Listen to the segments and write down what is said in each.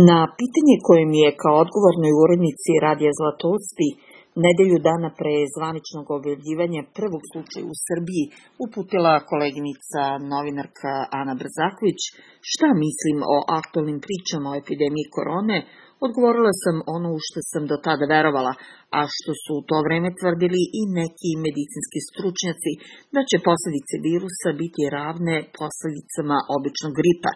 Na pitanje koje mi je kao odgovornoj urednici Radija Zlatousti nedelju dana pre zvaničnog objavljivanja prvog slučaja u Srbiji uputila koleginica novinarka Ana Brzaković šta mislim o aktualnim pričama o epidemiji korone, odgovorila sam ono u što sam do tada verovala, a što su u to vreme tvrdili i neki medicinski stručnjaci, da će posledice virusa biti ravne posledicama običnog gripa.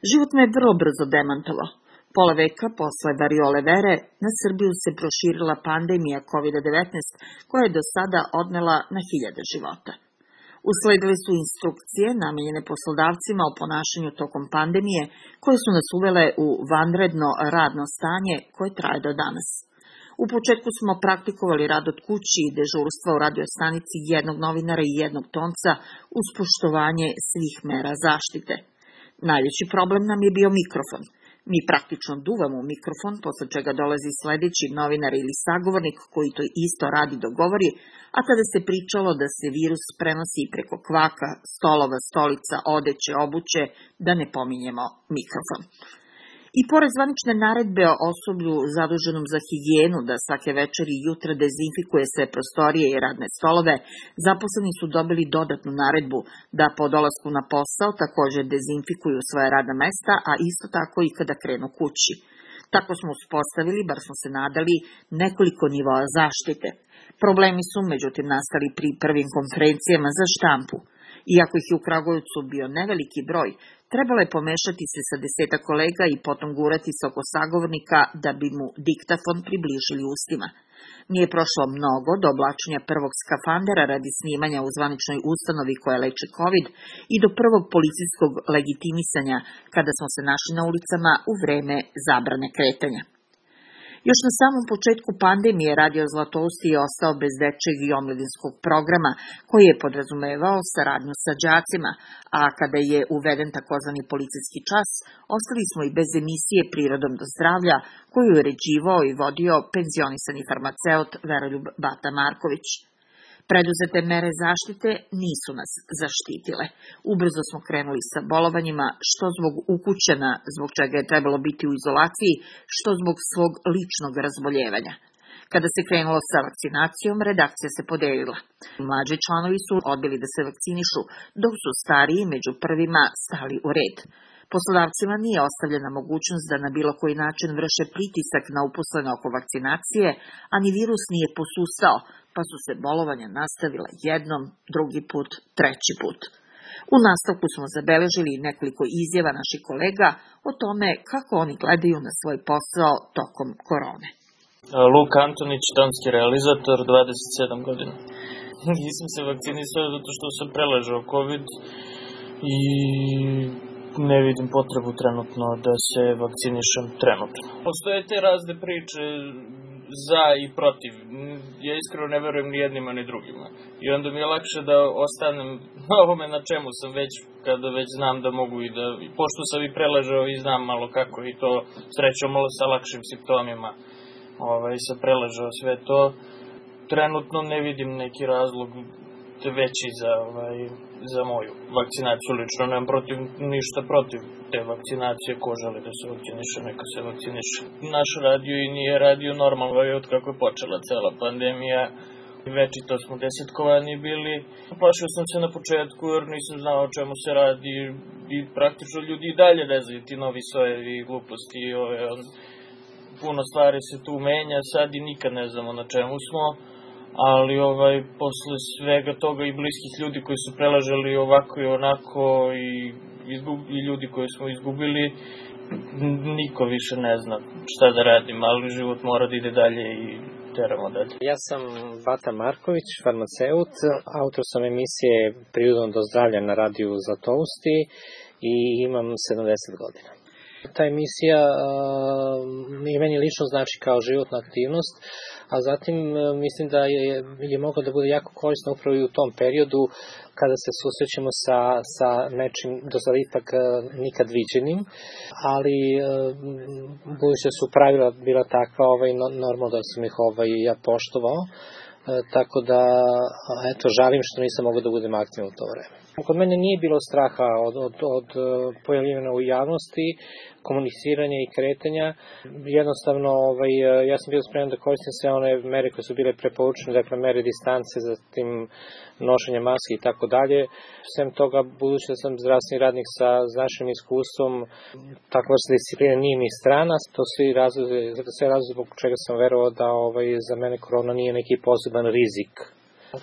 Život me vrlo brzo demantovao. Pola veka posle variole vere na Srbiju se proširila pandemija COVID-19 koja je do sada odnela na hiljade života. Usledile su instrukcije namenjene poslodavcima o ponašanju tokom pandemije koje su nas uvele u vanredno radno stanje koje traje do danas. U početku smo praktikovali rad od kući i dežurstva u radio stanici jednog novinara i jednog tonca uz poštovanje svih mera zaštite. Najveći problem nam je bio mikrofon. Mi praktično duvamo u mikrofon, posle čega dolazi sledeći novinar ili sagovornik koji to isto radi dogovori, a tada se pričalo da se virus prenosi preko kvaka, stolova, stolica, odeće, obuće, da ne pominjemo mikrofon. I pored zvanične naredbe o osoblju zaduženom za higijenu da svake večer i jutra dezinfikuje sve prostorije i radne stolove, zaposleni su dobili dodatnu naredbu da po dolasku na posao takođe dezinfikuju svoje radna mesta, a isto tako i kada krenu kući. Tako smo uspostavili, bar smo se nadali, nekoliko nivoa zaštite. Problemi su, međutim, nastali pri prvim konferencijama za štampu. Iako ih je u Kragujevcu bio neveliki broj, trebalo je pomešati se sa 10 kolega i potom gurati se oko sagovornika da bi mu diktafon približili ustima. Nije prošlo mnogo do oblačenja prvog skafandera radi snimanja u zvaničnoj ustanovi koja leči COVID i do prvog policijskog legitimisanja kada smo se našli na ulicama u vreme zabrane kretanja. Još na samom početku pandemije Radio Zlatousti je ostao bez dečjeg i omladinskog programa koji je podrazumevao saradnju sa đacima, a kada je uveden takozvani policijski čas, ostali smo i bez emisije Prirodom do zdravlja koju je uređivao i vodio penzionisani farmaceut Veroljub Bata Marković. Preduzete mere zaštite nisu nas zaštitile. Ubrzo smo krenuli sa bolovanjima, što zbog ukućena, zbog čega je trebalo biti u izolaciji, što zbog svog ličnog razboljevanja. Kada se krenulo sa vakcinacijom, redakcija se podelila. Mlađi članovi su odbili da se vakcinišu, dok su stariji među prvima stali u red. Poslodavcima nije ostavljena mogućnost da na bilo koji način vrše pritisak na uposlene oko vakcinacije, a ni virus nije posustao, pa su se bolovanja nastavila jednom, drugi put, treći put. U nastavku smo zabeležili nekoliko izjava naših kolega o tome kako oni gledaju na svoj posao tokom korone. Luka Antonić, tonski realizator, 27 godina. Nisam se vakcinisao zato što sam preležao COVID i ne vidim potrebu trenutno da se vakcinišem trenutno. Postoje te razne priče za i protiv. Ja iskreno ne verujem ni jednima ni drugima. I onda mi je lakše da ostanem na ovome na čemu sam već, kada već znam da mogu i da, pošto sam i preležao i znam malo kako i to srećom malo sa lakšim simptomima sam preležao sve to. Trenutno ne vidim neki razlog veći za moju vakcinaciju. Lično nemam ništa protiv te vakcinacije. Ko želi da se vakciniše, neka se vakciniše. Naš radio i nije radio normalno od kako je počela cela pandemija. Večito smo desetkovani bili. Plašio sam se na početku jer nisam znao o čemu se radi i praktično ljudi i dalje ne znaju ti novi sojevi i gluposti. Puno stvari se tu menja, sad i nikad ne znamo na čemu smo. Ali posle svega toga i bliskih ljudi koji su preležali ovako i onako i ljudi koji smo izgubili, niko više ne zna šta da radim, ali život mora da ide dalje i teramo dalje. Ja sam Bata Marković, farmaceut, autor sam emisije Prirodom do zdravlja na radiju Zlatousti i imam 70 godina. Ta emisija i meni lično znači kao životna aktivnost, a zatim mislim da je moglo da bude jako korisno upravo i u tom periodu kada se susrećemo sa nečim do sada ipak nikad viđenim, ali budući da su pravila bila takva, normalno da sam ih ja poštovao, tako da žalim što nisam mogao da budem aktivan u to vreme. Kod mene nije bilo straha od pojavljivanja u javnosti, komuniciranja i kretanja. Jednostavno, ja sam bio spreman da koristim sve one mere koje su bile preporučene, dakle mere distance, zatim nošenje maske i tako dalje. Sem toga, budući da sam zdravstveni radnik sa značajnim iskustvom, takva vrsta disciplina nije mi strana. To sve razlozi zbog čega sam verovao da za mene korona nije neki poseban rizik.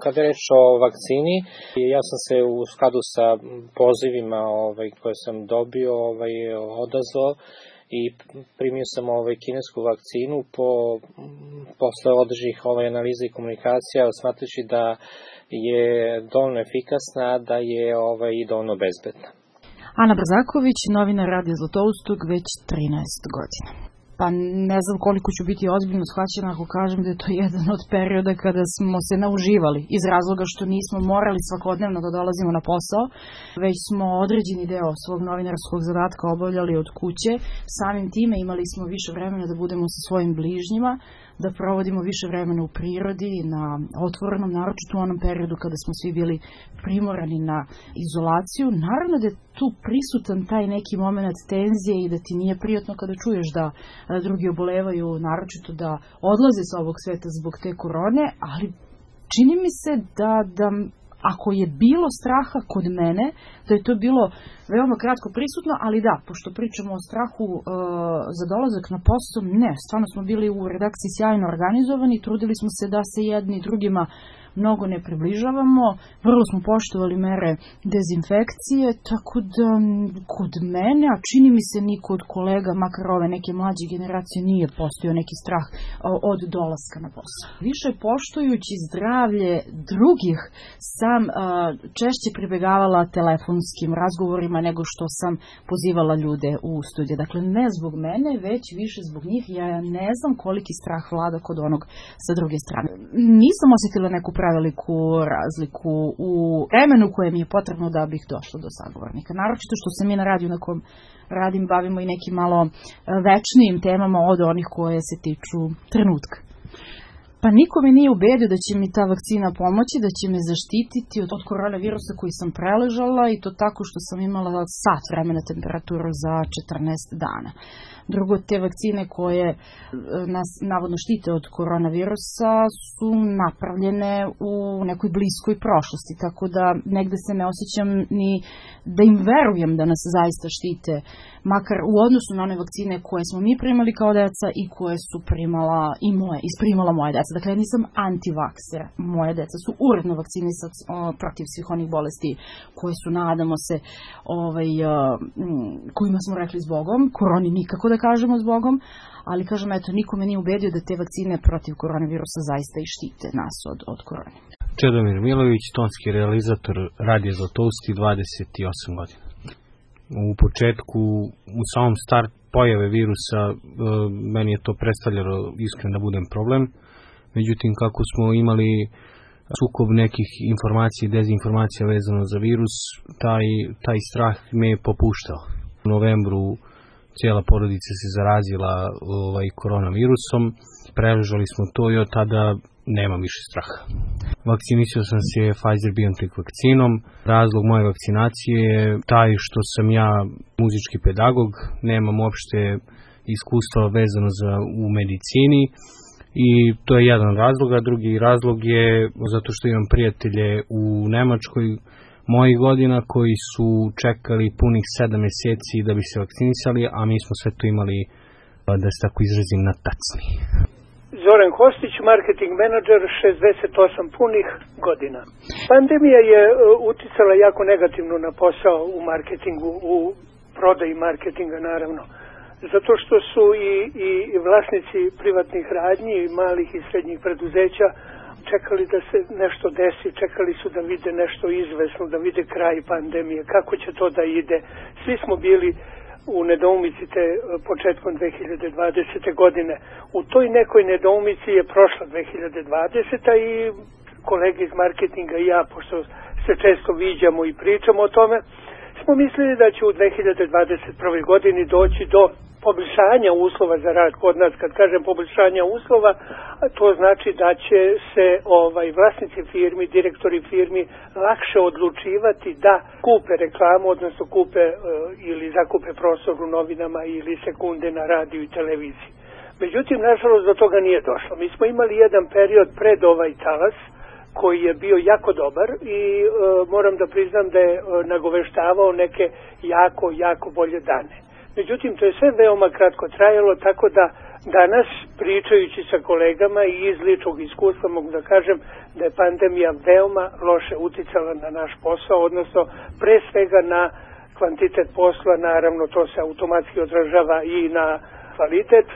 Kada je reč o vakcini, ja sam se u skladu sa pozivima koje sam dobio odazvao i primio sam kinesku vakcinu posle određenih analiza i komunikacija, smatrajući da je dovoljno efikasna, da je i dovoljno bezbedna. Ana Brzaković, novinar Radija Zlatoustog već 13 godina. Pa ne znam koliko ću biti ozbiljno shvaćena ako kažem da je to jedan od perioda kada smo se nauživali iz razloga što nismo morali svakodnevno da dolazimo na posao, već smo određeni deo svog novinarskog zadatka obavljali od kuće. Samim time imali smo više vremena da budemo sa svojim bližnjima, da provodimo više vremena u prirodi, na otvorenom, naročito u onom periodu kada smo svi bili primorani na izolaciju. Naravno da je tu prisutan taj neki moment tenzije i da ti nije prijatno kada čuješ da drugi obolevaju, naročito da odlaze sa ovog sveta zbog te korone, ali čini mi se da ako je bilo straha kod mene, da je to bilo veoma kratko prisutno, ali da, pošto pričamo o strahu za dolazak na posao, ne, stvarno smo bili u redakciji sjajno organizovani, trudili smo se da se jedni drugima mnogo ne približavamo, vrlo smo poštovali mere dezinfekcije, tako da kod mene, a čini mi se niko od kolega, makar ove neke mlađe generacije, nije postojao neki strah od dolaska na posao. Više poštujući zdravlje drugih sam češće pribegavala telefonskim razgovorima nego što sam pozivala ljude u studiju. Dakle, ne zbog mene, već više zbog njih. Ja ne znam koliki strah vlada kod onog sa druge strane. Nisam osjetila neku preveliku razliku u vremenu koje mi je potrebno da bih došla do sagovornika. Naročito što se mi na radiju na kom radim bavimo i nekim malo večnijim temama od onih koje se tiču trenutka. Pa niko me nije ubedio da će mi ta vakcina pomoći, da će me zaštititi od koronavirusa koji sam preležala i to tako što sam imala sat vremena temperaturu za 14 dana. Drugo, te vakcine koje nas navodno štite od koronavirusa su napravljene u nekoj bliskoj prošlosti, tako da negde se ne osjećam ni da im verujem da nas zaista štite, makar u odnosu na one vakcine koje smo mi primali kao deca i koje su primala moja deca. Dakle, ja nisam antivakser. Moje deca su uredno vakcinisani protiv svih onih bolesti koje su, nadamo se, kojima smo rekli zbogom. Koroni nikako da kažemo zbogom, ali kažem, eto, niko me nije ubedio da te vakcine protiv koronavirusa zaista i štite nas od korone. Čedomir Milović, tonski realizator Radija Zlatousti, 28 godina. U početku, u samom start pojave virusa, meni je to predstavljalo, iskren da budem, problem. Međutim, kako smo imali sukob nekih informacija i dezinformacija vezano za virus, taj strah me je popuštao. U novembru cijela porodica se zarazila koronavirusom, preležali smo to i od tada nema više straha. Vakcinisao sam se Pfizer-BioNTech vakcinom. Razlog moje vakcinacije je taj što sam ja muzički pedagog, nemam uopšte iskustva vezano u medicini i to je jedan razlog, a drugi razlog je zato što imam prijatelje u Nemačkoj mojih godina koji su čekali punih 7 mjeseci da bi se vakcinisali, a mi smo sve to imali, da se tako izrazim, na tacni. Zoran Kostić, marketing menadžer, 68 punih godina. Pandemija je uticala jako negativno na posao u marketingu, u prodaji marketinga naravno. Zato što su i vlasnici privatnih radnji, malih i srednjih preduzeća čekali da se nešto desi, čekali su da vide nešto izvesno, da vide kraj pandemije, kako će to da ide. Svi smo bili u nedoumici te početkom 2020. godine. U toj nekoj nedoumici je prošla 2020. i kolege iz marketinga i ja, pošto se često viđamo i pričamo o tome, smo mislili da će u 2021. godini doći do poboljšanja uslova za rad kod nas. Kad kažem poboljšanja uslova, to znači da će se vlasnici firmi, direktori firmi lakše odlučivati da kupe reklamu, odnosno kupe ili zakupe prostor u novinama ili sekunde na radiju i televiziji. Međutim, nažalost, do toga nije došlo. Mi smo imali jedan period pred ovaj talas koji je bio jako dobar i moram da priznam da je nagoveštavao neke jako bolje dane. Međutim, to je sve veoma kratko trajalo, tako da danas, pričajući sa kolegama i iz ličnog iskustva, mogu da kažem da je pandemija veoma loše uticala na naš posao, odnosno pre svega na kvantitet posla, naravno to se automatski odražava i na kvalitet.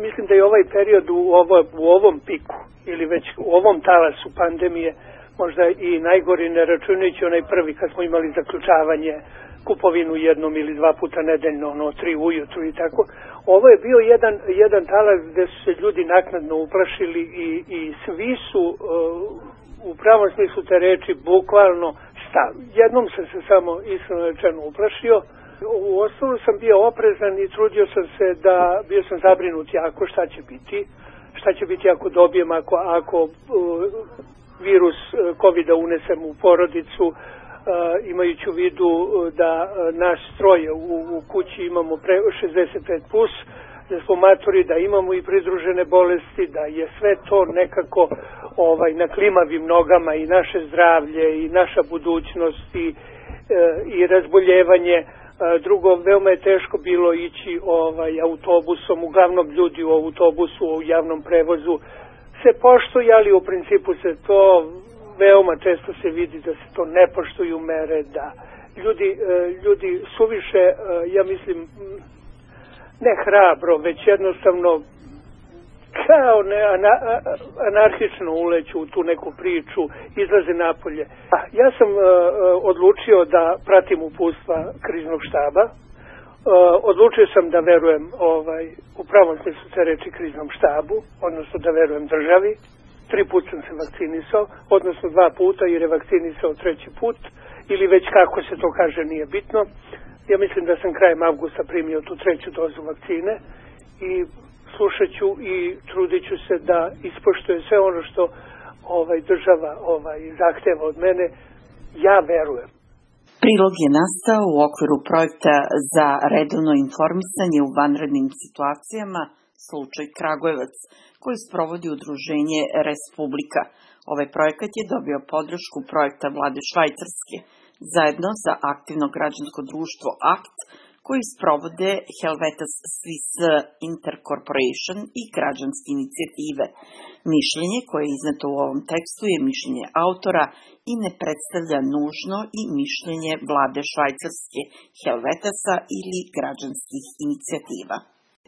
Mislim da je ovaj period u ovom piku ili već u ovom talasu pandemije možda i najgori, ne računajući onaj prvi kad smo imali zaključavanje, kupovinu jednom ili dva puta nedeljno, 3 ujutru i tako. Ovo je bio jedan talas gde su se ljudi naknadno uplašili i svi su u pravom smislu te reči bukvalno stali. Jednom sam se samo iskreno rečeno uplašio. U osnovu sam bio oprezan i trudio sam se bio sam zabrinut jako šta će biti ako dobijem, ako virus COVID-a unesem u porodicu, imajući u vidu da naš stroj u kući imamo 65+, da smo maturi, da imamo i pridružene bolesti, da je sve to nekako na klimavim nogama i naše zdravlje i naša budućnost i razboljevanje. Drugo, veoma je teško bilo ići autobusom, uglavnom ljudi u autobusu, u javnom prevozu se poštuju, ali u principu se to veoma često se vidi da se to ne poštuju mere, da ljudi suviše, ja mislim, ne hrabro, već jednostavno kao anarhično uleću u tu neku priču, izlaze napolje. Ja sam odlučio da pratim uputstva kriznog štaba. Odlučio sam da verujem u pravom smislu te reči kriznom štabu, odnosno da verujem državi. 3 puta sam se vakcinisao, odnosno 2 puta jer je vakcinisao 3. put, ili već kako se to kaže nije bitno. Ja mislim da sam krajem avgusta primio tu 3. dozu vakcine i slušat ću i trudit ću se da ispoštuje sve ono što država zahteva od mene. Ja verujem. Prilog je nastao u okviru projekta za redovno informisanje u vanrednim situacijama slučaj Kragujevac, koji sprovodi udruženje Respublika. Ovaj projekat je dobio podršku projekta vlade Švajcarske, zajedno sa aktivno građansko društvo ACT, koji sprovode Helvetas Swiss Intercorporation i građanske inicijative. Mišljenje koje je izneto u ovom tekstu je mišljenje autora i ne predstavlja nužno i mišljenje vlade Švajcarske, Helvetasa ili građanskih inicijativa.